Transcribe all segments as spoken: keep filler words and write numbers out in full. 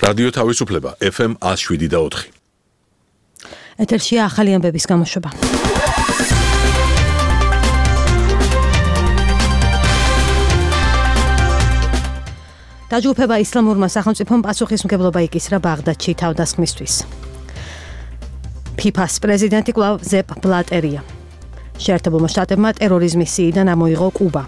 რადიო თავისუფლება ეფ ემ one oh seven და four. ეთერშია ახალი ამბების გამოშვება. დაჯგუფება ისლამურმა სახელმწიფომ პასუხისმგებლობა იკისრა ბაღდადში თავდასხმისთვის. ფიფას პრეზიდენტი კვლავ ზეპ ბლატერია. შეერთებულმა შტატებმა ტერორიზმის სიიდან ამოიღო კუბა.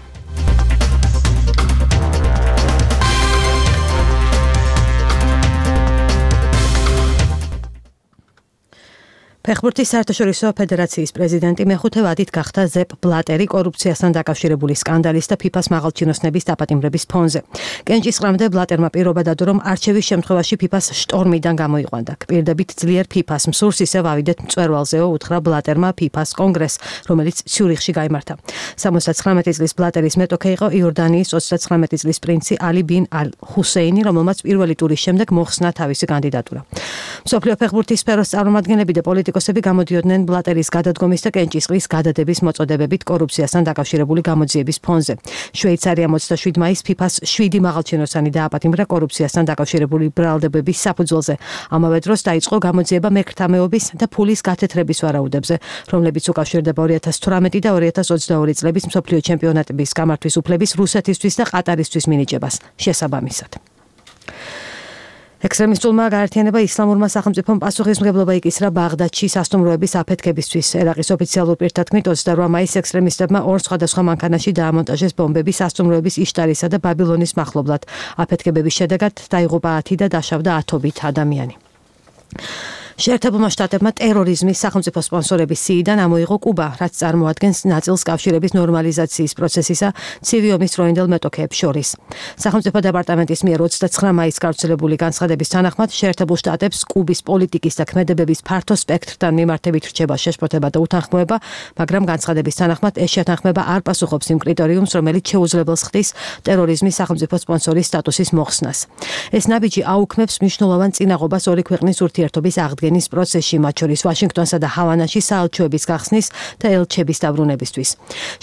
ფეხბურთის საერთაშორისო ფედერაციის პრეზიდენტი მეხუთე ვადით გახდა ზეპ ბლატერი კორუფციასთან დაკავშირებული სკანდალის და ფიფას მაღალჩინოსნების დაპატიმრების ფონზე. კენჭისყრამდე ბლატერმა პირობა დადო, რომ არჩევის შემთხვევაში ფიფას შტორმიდან გამოიყვანდა. კპირდებით ძლიერ ფიფას მსურს ისევ ავიდეთ მწვერვალზეო, უთხრა ბლატერმა ფიფას კონგრესს, რომელიც ციურიხში გაიმართა. სამოცდათხრამეტი წლის ბლატერის მეტოქე იყო იორდანიის ოცდათხრამეტი წლის პრინცი ალი ბინ ალ ჰუსეინი, რომელმაც პირველი ტურის შემდეგ მოხსნა თავისი კანდიდატურა. მსოფლიო ფეხბურთის სფეროს წარმომადგენლები და პოლიტიკოსები გამოდიოდნენ ბლატერის გადადგომის და კენჭისყრის გადადების მოწოდებებით კორუფციასთან დაკავშირებული გამოძიების ფონზე. შვეიცარია ოცდაშვიდი მაისს ფიფას შვიდი მაღალჩინოსანი დააპატიმრა კორუფციასთან დაკავშირებული ბრალდებების საფუძველზე. ამავე დროს დაიწყო გამოძიება მექრთამეობის და ფულის გათეთრების ვარაუდებზე, რომლებიც უკავშირდება ორი ათას თვრამეტი და ორი ათას ოცდაორი წლების მსოფლიო ჩემპიონატების გამართვის უფლების რუსეთისთვის და ყატარისთვის მინიჭებას შესაბამისად. ექსტრემისტულმა გაერთიანება ისლამურმა სახელმწიფომ პასუხისმგებლობა იკისრა ბაღდადში სასტუმროების აფეთქებისთვის. ერაყის ოფიციალურ პირთა თქმით ოცდაორი მაისს ექსტრემისტებმა ორ სხვადასხვა მანქანაში დაამონტაჟეს ბომბები სასტუმროების იშტარისა და ბაბილონის მახლობლად. აფეთქებების შედეგად დაიღუპა ათი და დაშავდა ათობით ადამიანი. შეერთებულმა შტატებმა ტერორიზმის სახელმწიფო სპონსორების სიიდან ამოიღო კუბა, რაც წარმოადგენს ნაწილს კავშირების ნორმალიზაციის პროცესისა ცივი ომის დროინდელ მეტოქეებს შორის. სახელმწიფო დეპარტამენტის მიერ ოცდაცხრა მაისს გავრცელებული განცხადების თანახმად შეერთებულ შტატებს კუბის პოლიტიკის და ქმედებების ფართო სპექტრთან მიმართებით რჩება შეშფოთება და უთანხმოება, მაგრამ განცხადების თანახმად ეს შეთანხმება არ პასუხობს იმ კრიტერიუმს, რომელიც შეუძლებელს ხდის ტერორიზმის სახელმწიფო სპონსორის სტატუსის მოხსნას. ეს ნაბიჯი აუქმებს მნიშვნელოვან წინაღობას ორი ქვეყნის ურთიერთობის აღდგენის პროცესში, მათ შორის ვაშინგტონსა და ჰავანაში საელჩოების გახსნის და ელჩების დაბრუნებისთვის.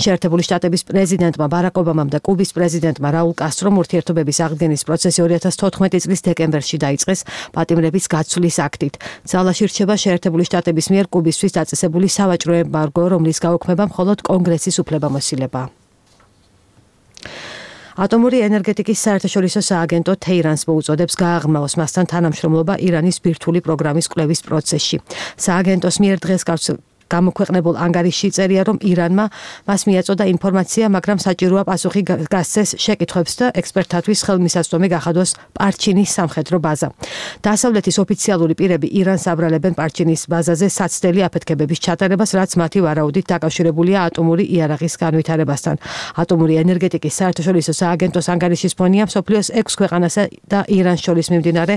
შეერთებული შტატების პრეზიდენტმა ბარაკ ობამამ და კუბის პრეზიდენტმა რაულ კასტრომ ურთიერთობების აღდგენის პროცესი ორი ათას თოთხმეტი წლის დეკემბერში დაიწყეს პატიმრების გაცვლის აქტით. ძალაში რჩება შეერთებული შტატების მიერ კუბისთვის დაწესებული სავაჭრო ემბარგო, რომლის გაუქმება მხოლოდ კონგრესის უფლებამოსილებაა. ატომური ენერგეტიკის საერთაშორისო სააგენტო თეირანს მოუწოდებს გააღრმავოს მასთან თანამშრომლობა ირანის ბირთვული პროგრამის კვლევის პროცესში. სააგენტოს მიერ დღეს გამოქვეყნებულ ანგარიშში წერია, რომ ირანმა მას მიაწოდა ინფორმაცია, მაგრამ საჭიროა პასუხი გასცეს შეკითხვებს და ექსპერტთათვის ხელმისაწვდომი გახადოს პარჩინის სამხედრო ბაზა. დასავლეთის ოფიციალური პირები ირანს აბრალებენ პარჩინის ბაზაზე საცდელი აფეთქებების ჩატარებას, რაც მათი ვარაუდით დაკავშირებულია ატომური იარაღის განვითარებასთან. ატომური ენერგეტიკის საერთაშორისო სააგენტოს ანგარიშის ფონია მსოფლიოს ექვს ქვეყანასა და ირანს შორის მიმდინარე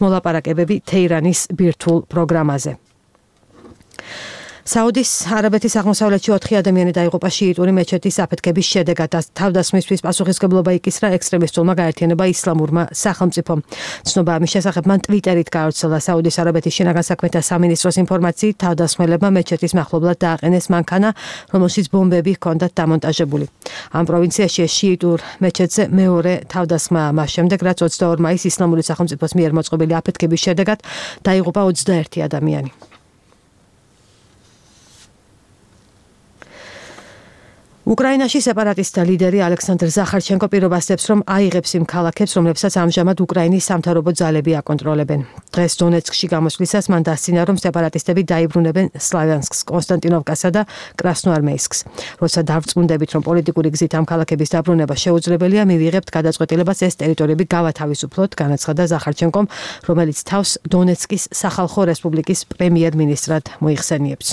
მოლაპარაკებები თეირანის ბირთვულ პროგრამაზე. საუდის არაბეთის აღმოსავლეთში ოთხი ადამიანი დაიღუპა შიიტური მეჩეთის აფეთქების შედეგად. თავდასხმისთვის პასუხისმგებლობა იკისრა ექსტრემისტულმა გაერთიანება ისლამურმა სახელმწიფომ. ცნობა ამის შესახებ მან ტვიტერით გაავრცელა. საუდის არაბეთის შინაგან საქმეთა სამინისტროს ინფორმაციით, თავდასხმელებმა მეჩეთის მახლობლად დააყენეს მანქანა, რომელშიც ბომბები ჰქონდათ დამონტაჟებული. ამ პროვინციაში ეს შიიტურ მეჩეთზე მეორე თავდასხმა მას შემდეგ, რაც ოცდაორი მაისს ისლამური სახელმწიფოს მიერ მოწყობილი აფეთქების შედეგად დაიღუპა ოცდაერთი ადამიანი. უკრაინაში სეპარატისტთა ლიდერი ალექსანდრ ზახარჩენკო პირობასდებს, რომ აიღებს იმ ქალაქებს, რომლებსაც ამჟამად უკრაინის სამთავრობო ძალები აკონტროლებენ. დღეს დონეცკში გამოსვლისას მან დასცინა, რომ სეპარატისტები დაიბრუნებენ სლავიანსკს, კონსტანტინოვკასა და კრასნოარმეისკს. როცა დავწმუნდებით, რომ პოლიტიკური გზით ამ ქალაქების დაბრუნება შეუძლებელია, მივიღებთ გადაწყვეტილებას ეს ტერიტორიები გავათავისუფლოთ, განაცხადა ზახარჩენკომ, რომელიც თავს დონეცკის სახალხო რესპუბლიკის პრემიერ-მინისტრად მოიხსენიებს.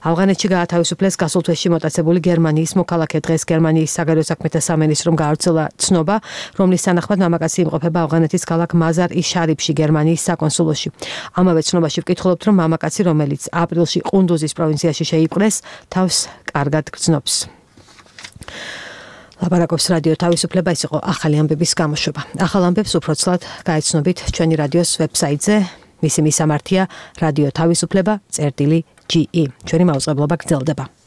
ავღანეთში გაათავისუფლეს გასულ თვეში მოტაცებული გერმანიის მოქალაქე. დღეს გერმანიის საგარეო საქმეთა სამინისტრომ გაავრცელა ცნობა, რომლის თანახმად მამაკაცი იმყოფება ავღანეთის ქალაქ მაზარ-ი-შარიფში, გერმანიის საკონსულოში. ამავე ცნობაში ვკითხულობთ, რომ მამაკაცი, რომელიც აპრილში ყუნდუზის პროვინციაში შეიპყრეს, თავს კარგად გრძნობს. ლაპარაკობს რადიო თავისუფლება, ის იყო ახალი ამბების გამოშვება. ახალ ამბებს უფრო ცლად გაეცნობით ჩვენი რადიოს ვებსაიტზე. მისი მისამართია რადიო თავისუფლება წერტილი ჯი ი. ჩვენი მაუწყებლობა გრძელდება.